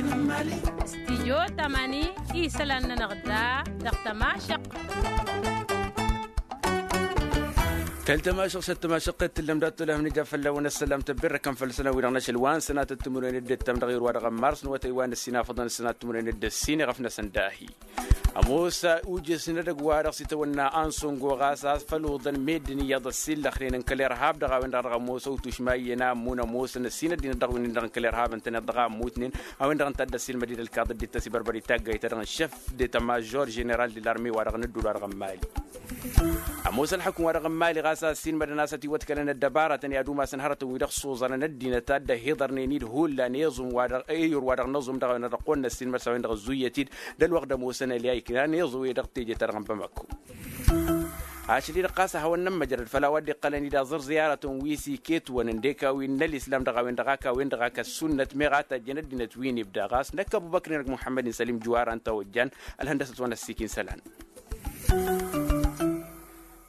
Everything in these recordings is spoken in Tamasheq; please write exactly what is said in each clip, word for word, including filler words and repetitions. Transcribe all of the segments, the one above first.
Stijyo tamani isălan-nănăɣ da dăɣ-tămašăqq. Tăl-tămašăqq s-ăttămašăqq t-tǝllăm dat-tolăh nǝja fălla-wen ăssălam tăbberrăkăn făll-sănăw-wi-dăɣ n-ašăl wa n-sănatăt timǝrwen d-ǝttăm dăɣ-irwa dăɣ-ămmars n-wătăy wa n-ǝssin afăḍăn ǝssănat timǝrwen d-ǝssin iɣăf-năsăn dahi. Ămoos ujǝsnăd ăgg-wa-dăɣ s-itawănna ansongo ɣas a făl uḍăn meddǝn iyyăḍ ăssiillăxnen n-kăl-irhab dăɣ-a-wen-dăɣ dăɣ-ămoos ăwtušma iyyăn a ămmun ămoosăn ăssin ăddinăt dăɣ-win-dăɣ n-kăl-irhab ǝntăneḍ dăɣ-a ămmutnen a-wen-dăɣ ǝnta a dd-ăssiilmăd-dd ălkaḍ dd-tăsibărbăr itaggayt-ta-dăɣ n-šef de tamajor ženeral de larme wa-dăɣ n-ǝddul wa-dăɣ n-mali. Ămoos ălxukǝm wa-dăɣ n-mali ɣas a ăssiilmădăn a-s ătiwătkălăn ăddăbaratăn i-ad-umasăn hărătăn wi-dăɣ s-uẓărăn ăddinăt a dd-ăhiḍărnen-dd hullan iẓum wa-dăɣ eyur wa-dăɣ n-aẓum dăɣ-a-wen-dăɣ ăqqolnăssin mărs a-wen-dăɣ ăzzuyyăt-dd d-ălwăqq d-ămoosăn ălyayknen a n-iẓu-i-dăɣ teje-ta-dăɣ n-bamako. Ašăl-i-dăɣ ɣas a hawăn-nămmăjrăd făll-a-wa dd-iqqălăn-dd aẓǝr ziyaratăn wi s-iket-wăn ǝndek a-wen n-ălislam dăɣ-a-wen-dăɣ ak a-wen-dăɣ ak ăssunnăt meɣ a tajjăn ăddinăt wi n-ibda ɣas năkk ăbubăkr-in-dăɣ muḥămmăd-in sălim juwar ănta ojjan. Ălhăndăsăt wa n-ăssiik n-isălan.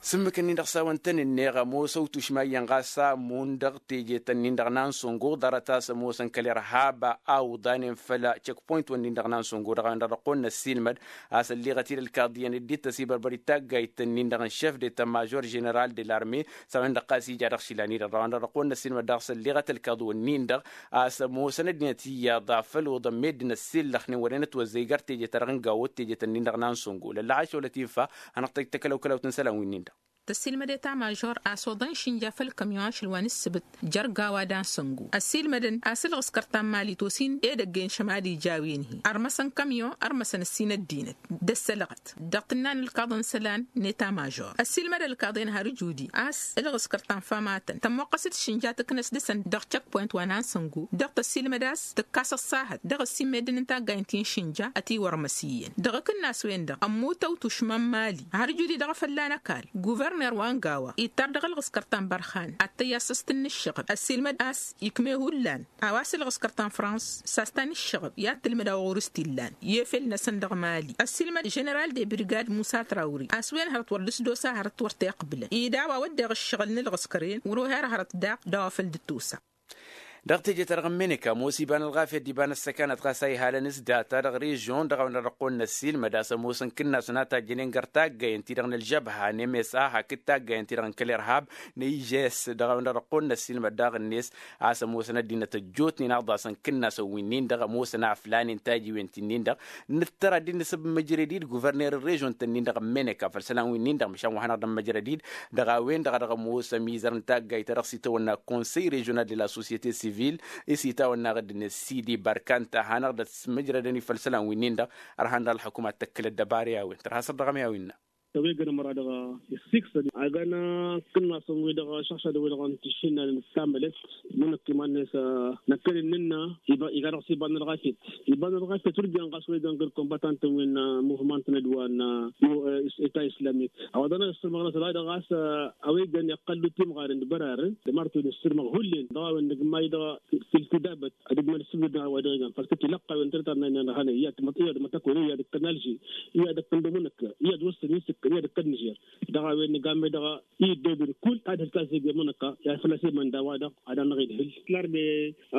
S-ǝmmǝk-ǝnnin-dăɣ s-a-wăn tăn-ǝnneɣ ămoos ăwtušma iyyăn ɣas a ămmun dăɣ-teje-tăn-nin-dăɣ n-ansongo ḍarăt a-s ămoosăn kăl-irhab a uḍanen făll-check point-wăn-nin-dăɣ n-ansongo dăɣ-a-wen-dăɣ dăɣ-kăwăn-năssiilmăd a-s ălleɣăt-dd ălkaḍ iyyăn dd-tăsibărbăr d-taggayt-tăn-nin-dăɣ n-chef de ta major ženeral de larme s-a-wen-dăɣ ɣas ija dăɣ-išilan-i-dăɣ dăɣ-a-wen-dăɣ dăɣ-kăwăn-năssiilmăd dăɣ-s ălleɣăt ălkaḍ-wăn-nin-dăɣ a-s ămoosăn ăddinăt iyyăḍ a făl uḍăn meddǝn ăssiillăxnen wăren ătwăzzăy gar teje-ta-dăɣ n-gawăt teje-tăn-nin-dăɣ n-ansongo lălla ašăwălăt infa. Hanăɣ-tăj tăkălăw-kălăwt n-isălan wi-nin-dăɣ. Tăssiilmăd eta major a-s oḍăn išǝnja făll-kămyon ašăl wa n-ǝssǝbǝt jer-gawa d-ansăngu ăssiilmădăn a-s ǝlɣǝskăr ta n-mali tosin edăgg-en šămali jawen-hi ărmăsăn kămyon ărmăsăn ǝssin ăddinăt d-ăssălɣăt dăɣ-tǝnna n-ǝlkaḍăn isălan n-eta major ăssiilmăd ălkaḍen har ǝjudi a-s ǝlɣǝskăr ta n-famatăn tămmoqqăs d-išǝnja tǝknăs dăɣ-săn dăɣ-check point wa n-ansăngu dăɣ-tăssiilmăd a-s tǝkkas ăṣṣahăt dăɣ-ăssimeddǝn n-taggaynt ti n-išǝnja ătiwărmăs iyyăn dăɣ-akǝnnas-wen-dăɣ ămmut ăwtušma n-mali har ǝjudi dăɣ-efălla n-ăkall guverner wa n-gawa ittar dăɣ-ălɣǝskăr ta n-bărhan ad-tăyy a-s s-tǝnnǝššăɣăb ăssiilmăd a-s ikme hullan a-wa s-ǝlɣǝskăr ta n-frans s-a-s ta n-ǝššăɣăb i-ad-tǝlmǝd a-wa ɣur-s t-illan i-efel-năsăn dăɣ-mali ăssiilmăd ženeral de brigad musa trawri a-s wen hărăt wăr dăr-s d-osa hărăt wăr t-iqbǝlăn ida a-wa wădden ǝššăɣǝl n-ǝlɣǝskăr-en wăr-oher hărăt daɣ d-a-wa făl dd-tosa. Dăɣ-teje-ta-dăɣ n-meneka ămoos iba n-ălɣafyăt d-iba n-ăssăkanăt ɣas a ihalăn s-data dăɣ-režion dăɣ-a-wen-dăɣ dăɣ-kăwăn-năssiilmăd a-s ămoosăn kǝnnas n-ad-tajjănen gar taggayăn-ti-dăɣ n-ălžăbha n-msa hakd taggayăn-ti-dăɣ n-kăl-irhab n-ijess dăɣ-a-wen-dăɣ dăɣ-kăwăn-năssiilmăd daɣ-net a-s ămoosăn ăddinăt ăjjootnen aḍasăn kǝnnasăn wi-nin-dăɣ ămoosăn a ăflanen tajiwen ti-nin-dăɣ. Nǝttăr ad-dd-nǝsǝb măjrăd-dd guverner n-režion-tăn-nin-dăɣ n-meneka făll-isălan wi-nin-dăɣ măšan wa hanăɣ-dd-ămmăjrăd-dd dăɣ-a-wen-dăɣ a dăɣ-ămoos ămizăr n-taggayt ta dăɣ-s itawănna conseil režion ad-la societe civil s-itawănna ɣǝdd-net sidi barkanta a hanăɣ-dd-ăsmăjrădăn-i făll-isălan wi-nin-dăɣ. Ărhan dăɣ-ălxukuma tăkkǝlăt dăbari a-wen tărha săr dăɣ-ămi a-wen-năɣ. Ăwwegăn ămăra dăɣ-issixsăn agana kǝnnasăn-wi-dăɣ šăɣšadăn-wi-dăɣ n-tišǝnnan n-tamălăt. Mănăkk iman-net năkkănen nǝnna iga dăɣ-s iba n-ălɣafyăt iba n-ălɣafyăt wăr jan ɣas wăygan găr-kombatantăn wi n-muvmant n-ădwa n-eta islamik. A-wa dăɣ-năsǝrmăɣ năsăl a dăɣ-ɣas a-wa igan iqqăl d-timɣaren d-bărarăn d-martu năsǝrmăɣ hullen dăɣ-a-wen nǝgmay dăɣ-tilkudabăt ad-ǝgmăl s-ǝbdăd n-a-wa dăɣ-igan făl-tăt-ilăqqa a-wen tărăt ad-nănăɣ hanăy iyyăd mătăyăd mătăkwen iyyăd ǝkkăn alži iyyăd ǝkkăn domănăkk iyyăd wăssăn isǝkkăn iyyăd ǝkkăn nižer. Dăɣ-a-wen nǝgammăy dăɣ-i dd-odun kull ad-hǝlkas ege mănăkka i-ad făl-a-s emănda wa-dăɣ ad-anăɣ-idhǝl. Larme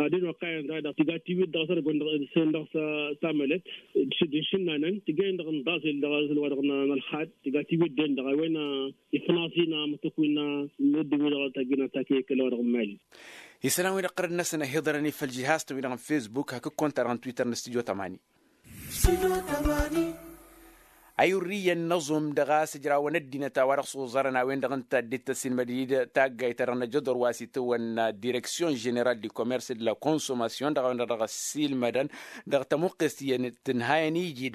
ad-ănoqqayăn da-dăɣ tiga tiwit dăɣ-sărgăwăn dăɣ-săn dăɣ-s tamălăt d-išǝnnanăn tiga-en-dăɣ n-daẓel dăɣ-asǝl wa-dăɣ n-ălxad tiga tiwit-den-dăɣ a-wen ifnaẓ-in amǝtǝkwi n-ăddin-wi-dăɣ tajjǝnăn takǝy kăla wa dăɣ-n mali. Isălan-wi-dăɣ qărăd-năsăn ăhiḍărăn-i făll-žihaz-tăn-wi-dăɣ n-fesbuk hakd konta-dăɣ n-twitter n-stujo tămani. Ayurriyăn n-aẓum dăɣ-a-s ǝjrawăn ăddinăt a-wa dăɣ-s uẓărăn a-wen-dăɣ ǝnta dd-tăssinmăd-dd taggayt-ta-dăɣ n-ajăḍor wa s-itawănna direksyon ženeral di komers d-la konsomation dăɣ-a-wen-dăɣ dăɣ-ăssiilmădăn dăɣ-tămuqqest iyyăn tǝnhayăn iji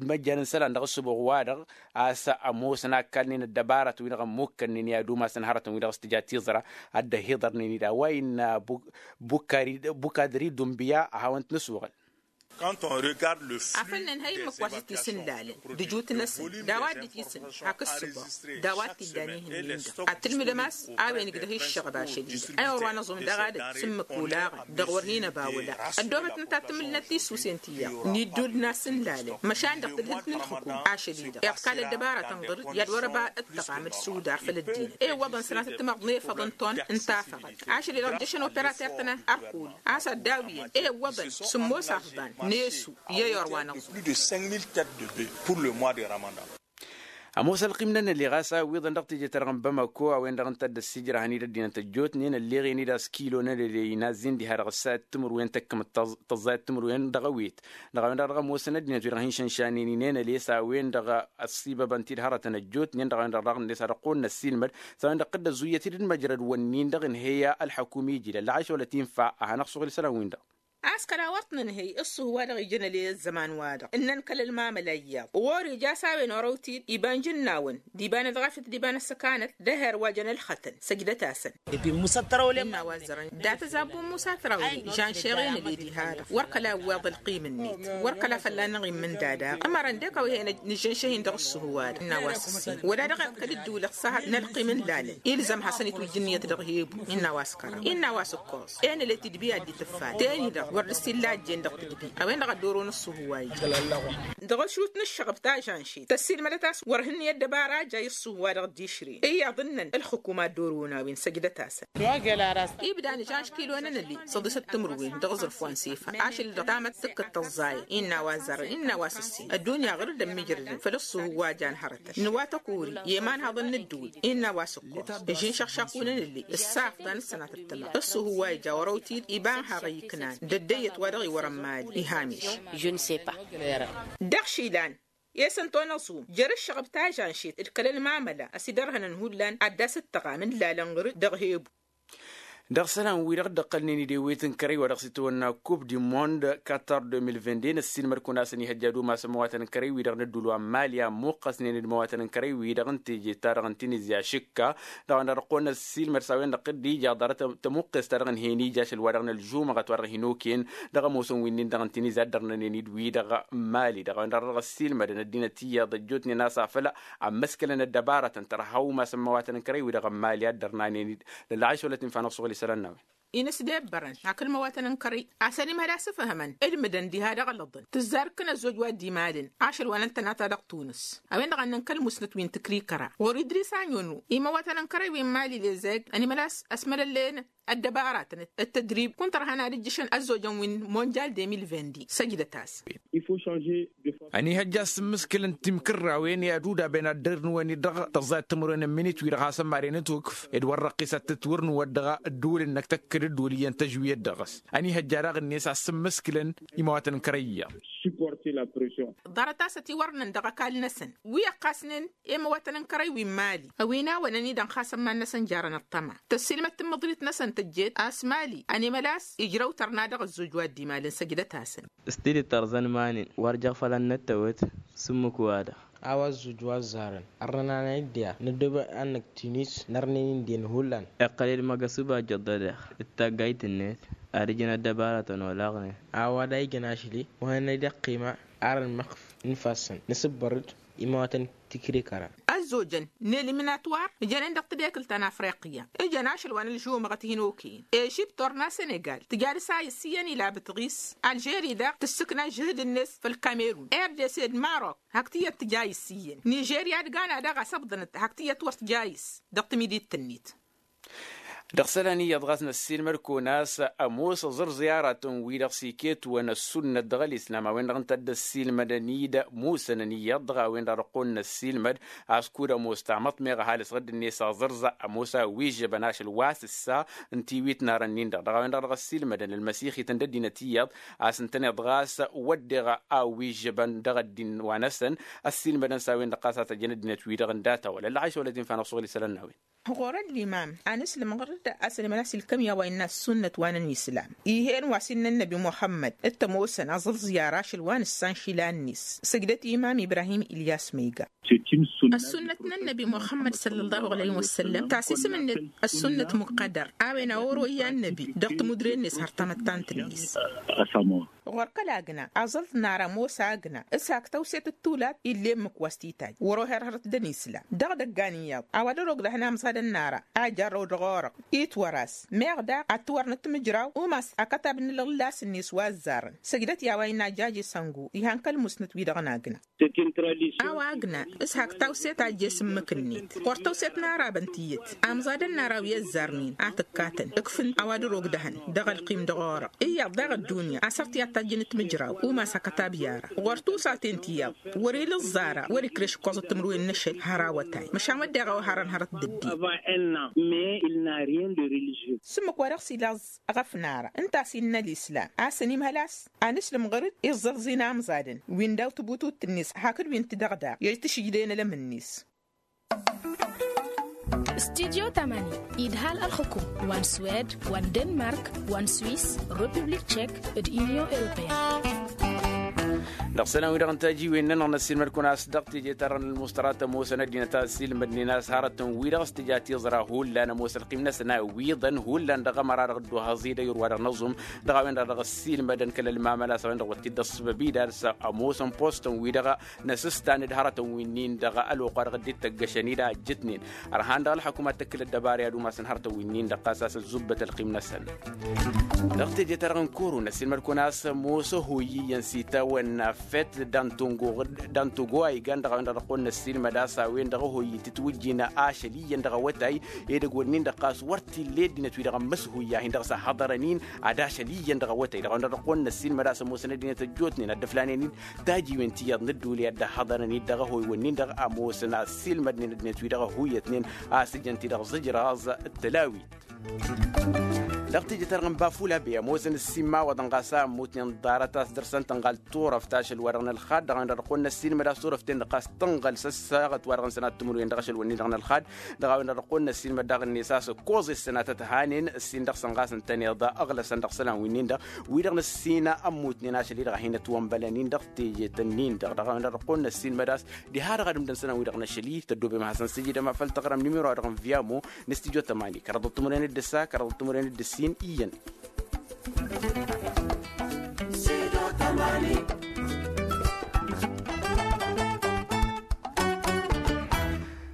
d-măjjan n-isălan dăɣ-ǝssǝbuɣ-wa-dăɣ. A-s ămoosăn a ǝkkalnen ăddăbarăt-wi-dăɣ ămmukkănnen i-ad-umasăn hărătăn-wi-dăɣ s-tǝja tiẓra ad-dd-ăhiḍărnen-dd a-wa innă bukadri dunbiya a hawăn-t-nǝsuɣǝl. Afăl nǝnhăy ǝmmǝk wa s-dd-tisǝnlalăn d-ǝjut-năsăn d-a-wa dd-tisǝn hakd s-ǝbăɣ d-a-wa t-illa n-ihǝnnin-dăɣ ad-tǝlmǝdăm a-s a-wen ǝgdăh iššăɣăb ašăl-i-dăɣ ăyɣăr wa năẓum dăɣ-adăd s-ǝmmǝk olaɣăn dăɣ-wăr hin-ăbawăla. Ăddoobăt n-tattǝmǝlnăt tisusen ti-i-dăɣ n-iddul n-asǝnlalăn măšan dăɣ-tǝllǝlt n-ǝlxǝkum ašăl-i-dăɣ iḍkal ăddăbaratăn ɣur-dd i-ad-wăr-ăba ǝṭṭăɣam d-sudar făll-ăddinăt ewwăḍăn sănatăt timăḍnefăḍăn ton n-tafăɣăt ašăl-i-dăɣ ǝjjăšăn operater-tăn ărkul a-s ad-dawǝyăn ewwăḍăn sǝmmos afḍan. N-esu i-ăyorwa-năɣ. Plus de cinq mille têtes de bœuf pour le mois de ramadan. Ămoos ălqim n-enăli ɣas a ǝwwiḍăn dăɣ-teje-ta-dăɣ n-bamako a-wen-dăɣ ǝnta a dd-ăssiijrăhăn-dd ăddinăt ăjjootnen ălleɣen-dd a-s kilo n-enăli inazzen diha dăɣ-ăssayăt timǝrwen tăkkǝmăt tăẓẓayăt timǝrwen dăɣ-ewet. Dăɣ-a-wen-dăɣ dăɣ-ămoosăn ăddinăt wi-dăɣ hin-šănšanen-in enăli s-a-wen-dăɣ ăssiibăbăn-t-dd hărătăn ăjjootnen dăɣ-a-wen-dăɣ dăɣ-net ad-ăqqoolnăs ilmăd. S-a-wen-dăɣ tădd-ăzzuyăt-dd măjrăd-wǝnnin-dăɣ ǝnhăy ălḥăkum iji d-ăllăɣayš wăla t-infa ad-hanăɣ-suɣǝl isălan-win-dăɣ. A-s kăla wăr t-nǝnhăy ǝṣṣuhu-wa-dăɣ ijăn ălel ăzzăman-wa-dăɣ ǝnnăn kăl-ălmamăla iyyăḍ wăr-ija a-s a-wen orăw-t-dd iba n-ijǝnnawăn d-iba n-ălɣafyăt d-iba n-ăssăkanăt d-ehăr wa jăn ălxătăn. Săjdăt-asăn. Innă wa ăzzărăn dat-ăzabbu musa tărawre žănšeɣ enăle diha-dăɣ wăr kăla ǝwweḍ ălqim-net wăr kăla fălla-năɣ immǝnda daɣ ămărăn dek a-wa he-nǝžžănšăh-in dăɣ-ǝṣṣuhu-wa-dăɣ innă a-wa s-ǝssin wăla dăɣ-iqqăl dd-ulăɣ s-ahăt n-ălqim n-lalăn ilzăm hasăn-itwǝjj ǝnniyăt dăɣ-hebu. Innă a-wa s-ǝkkăr innă a-wa s-ǝkkăr enăle tidbi ad-dd-tǝffat teni-dăɣ wăr dd-sillajjen dăɣ-tǝdbi a-wen-dăɣ a dd-oron ǝṣṣuhu-wa-i. Dăɣ-ašut n-ǝššăɣăb tažănšit tăssiilmădăt a-s wăr hǝnniyăt dăbara a ja i-ǝṣṣuhu-wa-dăɣ dd-išre iyyăḍ ǝnnăn ǝlxǝkum a dd-oron a-wen săjdăt-asăn. Ibda nǝžănš kilo n-enăli săḍisăt timǝrwen dăɣ-aẓrǝf wa n-sefa ašăl-dăɣ tamăttǝkkăt tăẓẓayăt innă a-wa zărăn innă a-wa s-ǝssin ăddunya ɣur-dd ămmijrădăn făll-ǝṣṣuhu wa jan hărătăn n-wa tăkori i-imanhăḍăn n-ǝddǝwǝl. Innă a-wa s-ǝkkoẓ ǝžžǝnšăɣ šaqqu n-enăli ǝssaf dan ǝssănatăt tăma ǝṣṣuhu wa ija orăw-t-dd iba n-haɣăy iknan d-ăddăyyăt wa dăɣ-iwărăn mali ihamiš. Dăɣ-išilan i-s ǝnta onăẓum jer-ǝššăɣăb tažănšit d-kăl-ălmamăla ăsidărhănăn hullan ad-dd-asǝttăɣam n-lalăn ɣǝr-dd dăɣ-hebu. Dăɣ-isălan-wi-dăɣ dd-ăqqălnen idewet n-kărăy wa dăɣ-s itwănna kup di mond katar deux mille vingt-deux n-ăssiilmăd-kăwăn a-s ănihăjja ad-umasăn imăwatăn n-kărăy-wi-dăɣ n-ădduul wa n-mali a ămmuqqăsnen d-imăwatăn n-kărăy-wi-dăɣ n-teje-ta-dăɣ n-tinizya šǝkka. Dăɣ-a-wen-dăɣ ăqqolnăs s-ilmăd s-a-wen-dăɣ dd-ija ḍarăt tămuqqest-ta-dăɣ ǝnhăyăn ija ašăl wa dăɣ-nălžumăɣăt wa dăɣ-hin-okăyăn dăɣ-ămoosăn wi-nin-dăɣ n-tinizya a dd-ărnănen-dd wi-dăɣ n-mali dăɣ-a-wen-dăɣ dăɣ-ăssiilmădăn ăddinăt iyyăḍ ăjjootnen a-s afăl ămmăskălăn ăddăbarătăn tărha umasăn imăwatăn n-kărăy-wi-dăɣ n-mali a dd-ărnanen-dd. Lălɣayš wăla t-infa n-ăṣṣuɣǝl isălan n-a-wen. Inǝsdebbărăn hak ǝlmăwatăn n-kărăy a-s ănimhăl a-s ǝfhămăn ǝlmǝdăn diha dăɣ-ălăḍăn tǝzzar ǝkkǝn ăzzoj wa dd-imalăn ašăl wa n-ăntănata dăɣ-tunǝs. A-wen-dăɣ a ǝnnăn kăl-musnăt wi n-tǝkrikăra ɣur-idris aɲunu imăwatăn n-kărăy wi n-mali lezeg ănimhăl a-s ăsmălăllen ăddăbaratăn d-tădrib kunta ărhan ad-ǝjjǝšăn ăzzojăn wi n-monjal deux mille vingt-deux săjdăt-as. Ănihăjja a-s ǝmmǝskǝlăn timkǝrrawen i-ad-udaben ad-dd-ărnǝwăn-dd dăɣ-tăẓẓayăt timǝrwen n-minit-wi-dăɣ hasăn-maren ătwǝkf d-wăr răqqis ad-tǝtwǝrnǝwăt dăɣ-ădduul-năk tăkkăd ădduul iyyăn tăžwiyăt dăɣ-s. Ănihăjja daɣ-net a-s ǝmmǝskǝlăn imawatăn n-kărăyya. Ḍarăt-as ătiwărnăn dăɣ-ăkall-năsăn wi ăqqasnen i-imăwatăn n-kărăy wi n-mali ăwinawăn-ănidăn xas ămman-năsăn jarăn ăṭṭăma tăssiilmăd tǝmmǝḍrit-năsăn tǝjjet a-s mali ănimăl a-s ijrăw tărna dăɣ-ăzzoj wa dd-imalăn săjdăt-asăn. S-tidǝt tărẓăn iman-in wăr jăɣ făll-ad-năttăwăt s-ǝmmǝk-wa-dăɣ. A-wa ăzzoj wa ăzzarăn ărnănanăy-dd i-ad-năddob ad-năkk tinis nărnen-in d-en hullan. Iqqăl-dd măgăsub ajjăḍ-dăɣ d-taggayt-net ad-ǝjǝn ăddăbarătăn olaɣnen. A-wa da ijăn ašli wa hanăy-dd ăqqima ar ănmăxf n-ifassăn nǝsǝbbăr-dd imawatăn tikrikăra. Ăzzojăn n-eliminatwar ǝjănen dăɣ-tadekǝlt ta n-afriqya ǝjăn ašăl wa n-ălžumăɣăt hin-okăyăn ežipt orna senegal tǝja dăr-s a issiyăn ila bǝtɣis. Alžeri daɣ tǝssǝkna žǝhǝd-net făll-kamerun rdc d-marok. Hak tiyyăt tǝja issiyăn nižerya d-gana daɣ a-s ăbḍănăt hak tiyyăt wăr tǝja iss dăɣ-timidit-net. Dăɣ-isălan iyyăḍ ɣas năssiilmăd-kăwăn a-s ămoos aẓrǝẓ i-aratăn-wi-dăɣ s-iketwăn ăssunnăt dăɣ-ălislam a-wen-dăɣ ǝnta a dd-ăssiilmădăn-dd musănăn iyyăḍ dăɣ-a-wen-dăɣ dăɣ-kăwăn-năssiilmăd. A-s kud-ămoos tamăḍt meɣ ăhalǝs ɣǝdd-net aẓrǝẓ ămoos a ăwwižžăbăn ašăl wa s-ǝssa n-tiwit n-arăn-in-dăɣ dăɣ-a-wen-dăɣ dăɣ-ăssiilmădăn ălmăsixităn d-ăddinăt iyyăḍ. A-s ǝntăneḍ ɣas wădden a ăwwižžăbăn dăɣ-ăddin wa-năsăn ăssiilmădăn s-a-wen-dăɣ ɣas a tăjjăn ăddinăt-wi-dăɣ n-data wăla ălɣayš wăla t-infa n-ăṣṣuɣǝl isălan n-a-wen. Ɣur-ăllimam a nǝslǝm ɣur-dd a-s ălmănas ilkăm i-a-wa innă ăssunnăt wa n-ănislam. Ih'-en wa s-innă ănnăbi muxămmăd d-tămoosăn aẓǝlẓǝy ar ašăl wa n-ǝssan išilan-net. Sǝjdăt i-imam ibrahim ilyas ma iga. Ăssunnăt n-ănnăbi muxămmăd săllăllahu alăyhi wăssăllăm tasisǝm-net ăssunnăt muqqădăr a-wen a oro i-ănnăbi dăɣ-timudre-net har tamăttant-net. Ɣur-kăl agna aẓǝlẓǝy n-ara ămoos agna s-hak tăwset d-tulad ill'-e ǝmmǝk wa s-titajj wăr-oher hărăt d-ănislam dăɣ-idăggan iyyăḍ a-wa dăr-ogdăhăn amẓadăn n-ara a jarrăw dăɣ-orăɣ. Itwăr-as meɣ daɣ ad-t-wăr nǝtmǝjraw umas akătab n-alɣǝllas-net wa ăzzarăn. Săjdăt i-a-wa innă ajaj isăngu ihan kăl-musnăt-wi-dăɣ n-agna. A-wa agna s-hak tawset a ăjjees ǝmmǝk-net ɣur-tawset n-arabăn tiyyăt. Amẓadăn n-ara wi ăzzarnen a tǝkkatăn ǝkfǝn a-wa dăr-ogdăhăn dăɣ-ălqim dăɣ-orăɣ iyyăḍ daɣ ăddunya a-s ărt i-ad-t Ăjjǝn timǝjraw umas hakăt abyara ɣur-tusaten tiyyăḍ wăr-ila ăẓẓara wăr-ikreš ǝkkoẓăt timǝrwen n-ašăl har awătay măšan wădden a-wa harăn hărăt d-ăddin. S-ǝmmǝk wa dăɣ-s ila ăẓ ɣăf nara ǝnta a-s innă ălislam a-s ănimhăl a-s anǝslǝm ɣur-dd iẓẓălẓin amẓadăn wi n-daw-tibutut-net hakd wi n-tidăɣda i-tǝšǝjdăyăn ălămǝnnis. Studyo tamani idhal ălxukum wa n-swed wa n-denmark wa n-swiss, republik tchek, d-inyon europeyăn. Dăɣ-isălan-wi-dăɣ n-tajiwen-nănăɣ n-ăssiilmăd-kăwăn a-s dăɣ-teje-ta-dăɣ n-ălmuṣtăra tămoosăn ăddinăt a ăssiilmădnen a-s hărătăn-wi-dăɣ s-tǝja tiẓra hullan ămoos ălqim-năsăn a wi-iḍăn hullan dăɣ-ămăra-dăɣ dd-ohăẓ-i d-ayǝr-wa-dăɣ n-aẓum. Dăɣ-a-wen-dăɣ dăɣ-ăssiilmădăn kăl-ălmamăl a-s a-wen-dăɣ wăr t-dd-ăṣṣăbăb-i d-ad-s ămoosăn postăn-wi-dăɣ n-asǝstan d-hărătăn winnin-dăɣ ălwăqq wa dăɣ-dd-ittăggăšăn-dd a ăjjǝtnen. Ărhan dăɣ-ălxăkum ad-tăkkǝl ăddăbara i-ad-umasăn hărătăn winnin-dăɣ ɣas a-s ăzzubbăt ălqim-năsăn. Dăɣ-teje-ta-dăɣ n-koro n-ăssiilmăd-kăwăn a-s ămoos ăhoyy iyyăn s-itawănna fet d-antogo a igan dăɣ-a-wen-dăɣ dăɣ-kăwăn-năssiilmăd a-s a-wen-dăɣ ăhoyy tǝtwǝjjin ašăl iyyăn dăɣ-awătay edăgg-wǝnnin-dăɣ ɣas wăr t-illa i-ăddinăt-wi-dăɣ ămmăs ăhoyy-ahin dăɣ-s ăhhăḍărăn-in ad-ašăl iyyăn dăɣ-awătay dăɣ-a-wen-dăɣ dăɣ-kăwăn-năssiilmăd a-s ămoosăn ăddinăt ăjjootnen ad-dd-ǝflanen-dd tajiwen ti iyyăḍ n-ădduuley ad-dd-ăhhăḍărăn-dd dăɣ-ehăy-wǝnnin-dăɣ ămoosăn a ăssiilmădnen ăddinăt-wi-dăɣ ăhhuyyătnen a-s ǝjăn-t-dăɣ ẓǝjraẓ d-tălawit. Dăɣ-teje-ta-dăɣ n-bafula be ămoosăn ǝssin imawaḍăn ɣas a ămmutnen ḍarăt a-s dăr-săn tǝnɣal turăft ašăl-wa-dăɣ n-ălxad dăɣ-a-wen-dăɣ dăɣ-kăwăn-năssiilmăd a-s turăft-en-dăɣ ɣas tǝnɣăl s-ăssaɣăt-wa-dăɣ n-sănat timǝrwen dăɣ-ašăl-wǝnnin-dăɣ n-ălxad. Dăɣ-a-wen-dăɣ dăɣ-kăwăn-năssiilmăd daɣ-net a-s ǝkkoẓ i-ăssănatăt hanen ǝssin dăɣ-săn ɣas ǝntăneḍ ăɣlăsăn dăɣ-isălan winnin-dăɣ wi-dăɣ nǝssin ămmutnen ašăl-i-dăɣ a hin-ătwănbălăn-in dăɣ-tejet-nin-dăɣ. Dăɣ-a-wen-dăɣ dăɣ-kăwăn-năssiilmăd a-s diha-dăɣ ad-ǝmdăn isălan-wi-dăɣ n-ašăl-i tăddoobem ad-hasăn-sǝjǝdăm a făl tăɣrăm nimiro-wa-dăɣ n-vyamo n-studyo tămani kăraḍăt timǝrwen d-ǝssa kăraḍăt timǝrwen d-ǝssin iyyăn.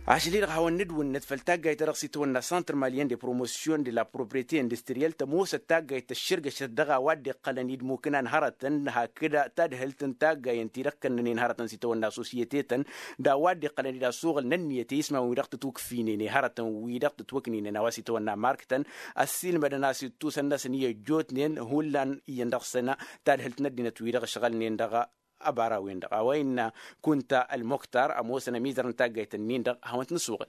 Ašăl-i-dăɣ hawăn-nǝdwǝnnăt făll-taggayt-ta-dăɣ s-itwănna centre malien de promotion de la propriete industriel tămoosăt taggayt tăššărgăšăt dăɣ-a-wa dd-iqqălăn-dd mukǝnan hărătăn hakd tadhǝlt n-taggayen-ti-dăɣ kănnănen hărătăn s-itwănna sosyete-tăn d-a-wa dd-iqqălăn-dd asuɣǝl n-ǝnniyăt i-ismawăn-wi-dăɣ tǝtwǝkfinen i-hărătăn-wi-dăɣ tǝtwǝkninen a-wa s-itwănna mark-tăn. Ăssiilmădăn a-s ittus ănnăsăn i-ăjjootnen hullan iyyăn dăɣ-săn tadhǝlt n-ăddinăt-wi-dăɣ ǝšɣălnen dăɣ-ăbara-wen-dăɣ a-wa innă kunta ălmuktar ămoosăn ămizăr n-taggayt-nin-dăɣ hawăn-t-nǝsuɣǝl.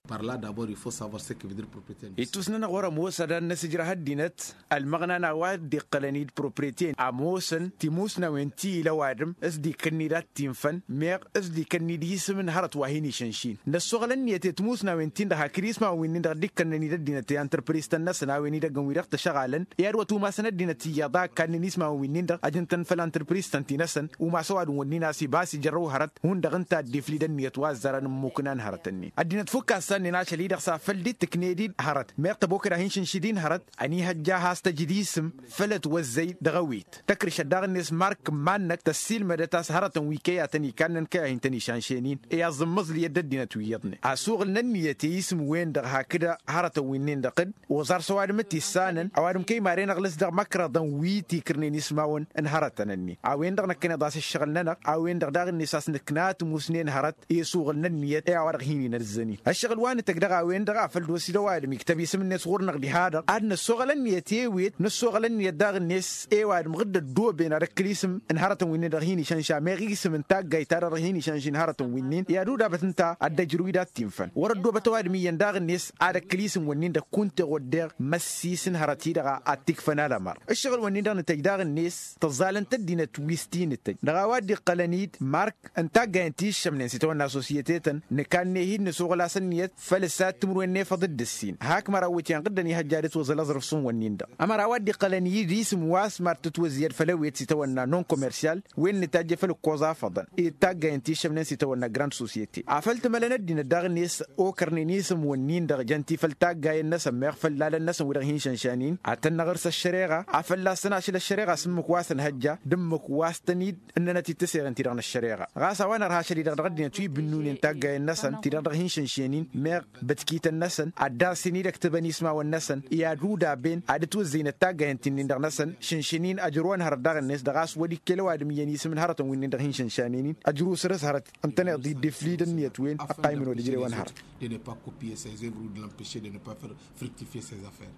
Ittus-nănăɣ wăr-ămoos ad-ad-năsǝjrăh ăddinăt ălmăɣna n-a-wa dd-iqqălăn-dd propreten ămoosăn timusnawen ti ila ăwadǝm s-dd-ikǝnnid ad-t-infăn meɣ s-dd-ikǝnnid isǝm n-hărăt wa hin-išănšin. Năssoɣăl ǝnniyăt i-timusnawen-tin-dăɣ hakd ismawăn-win-dăɣ dd-ikkănnăn-dd ăddinăt i-antrăpris-tăn-năsăn a-wen idăggăn wi-dăɣ tăšăɣalăn i-ad-wăt umasăn ăddinăt iyyăḍ a ǝkkannen ismawăn-win-dăɣ ăjǝn-tăn făll-antrăpris-tăn ti-năsăn umas ăwadǝm-wǝnnin a-s iba a-s ijărrăw hărăt hundăɣ ǝnta a dd-iflid ǝnniyăt wa ăzzărăn n-imukǝnan hărătăn-in. Ăddinăt fukk a ǝssannen ašăl-i-dăɣ s-afăl dd-tǝkned-dd hărăt meɣ tăbokăd a hin-šǝnšǝd-in hărăt ănihăjja a has-tăjǝd isǝm făll-ătwăzzăy dăɣ-ewit tăkrǝšăt daɣ-net mark n-iman-năk tăssiilmădăt a-s hărătăn wi kăy-a tăn-ikannen kăy-a hin-tăn-išănšen-in. I-aẓǝmmăẓlǝyăt d-ăddinăt wi iyyăḍnen asuɣǝl n-ǝnniyăt i-isǝm-wen-dăɣ hakd hărătăn winnin-dăɣ dd-oẓar s-ăwadǝm t-issanăn ăwadǝm kăy-maren ăɣlǝs dăɣ-imăkrăḍăn wi tikrǝnen ismawăn n-hărătăn-ǝnnin a-wen-dăɣ năkkăneḍ a-s ǝššăɣǝl-nănăɣ a-wen-dăɣ daɣ-net a-s nǝkna tǝmusnen hărăt i-asuɣǝl n-ǝnniyăt i-a-wa-dăɣ hin-inăzzăn-in. Ăššăɣǝl wa nǝtăgg dăɣ-a-wen-dăɣ a făl dd-osi d-ăwadǝm iktăb isǝm-net ɣur-năɣ diha-dăɣ ad-năssoɣăl ǝnniyăt i-ewet năssoɣăl ǝnniyăt daɣ-net i-ăwadǝm ɣǝdd ăddooben ad-ăkkǝl isǝm n-hărătăn winnin-dăɣ hin-išănša meɣ isǝm n-taggayt-ta-dăɣ hin-išănšin hărătăn winnin i-ad-udabăt ǝnta ad-dd-ăjrǝw-dd ad-t-infăn wăr-ăddoobăt ăwadǝm iyyăn daɣ-net ad-ăkkǝl isǝm-wǝnnin-dăɣ kunta i-wăddeɣ măssi s-n-hărăt-i-dăɣ a t-ikfăn alamăr. Ǝššăɣǝl-wǝnnin-dăɣ nǝtăjj daɣ-net tăẓẓalăn-t ăddinăt wi s-t-inǝtăjj dăɣ-a-wa dd-iqqălăn-dd mark n-taggayen ti ǝššămnen s-itawănna sosyete-tăn nǝkanne-hi-dd nǝsuɣǝl-as ǝnniyăt făll-ǝssa timǝrwen n-efăḍ d-ǝssin hak măraw wǝtyan ɣǝddăn ihăjja ad-ătwăẓăl aẓrǝf s-ǝnwănnin-dăɣ. Ămăra wa dd-iqqălăn-dd isǝm wa s-mad-tǝtwăzziyăd făll-ewet s-itawănna non-kommersyal wen nǝtajj făll-ǝkkoẓ afăḍăn i-d taggayen ti ǝššămnen s-itawănna grand sosyete afăl tǝmălăn ăddinăt daɣ-net okărnen isǝm-wǝnnin-dăɣ jăn-ti făll-taggayen-năsăn meɣ făll-lalăn-năsăn wi-dăɣ hin-išănšanin ad-tăn-năɣ ǝrs ăššăreɣa a fălla-săn ašăl ăššăreɣa s-ǝmmǝk wa s-ănhăjja d-ǝmmǝk wa s-tăn-dd ǝnnănăt-dd tǝseɣen-ti-dăɣ n-ăššăreɣa. Ɣas a-wa nărha ašăl-i-dăɣ dăɣ-ăddinăt wi bǝnnunen taggayen-năsăn ti-dăɣ dăɣ-hin-išănšenin meɣ bătkităn-năsăn ad-dd-arsǝn-dd ăktăbăn ismawăn-năsăn i-ad-udaben ad-ǝtwǝzzăynăt taggayen ti-nin-dăɣ-năsăn šǝnšǝn-in ăjrăwăn hărăt daɣ-net dăɣ-a-s wăr-ikkel ăwadǝm iyyăn isǝm n-hărătăn wi-nin-dăɣ hin-išănšanen-in ăjruw săr-s hărăt ǝntăneḍ-dd iflid ǝnniyăt-wen ăqqaymăn wăr-ijrewăn hărăt. De ne pas copier ses œuvres ou de l'empêcher de ne pas faire fructifier ses affaires.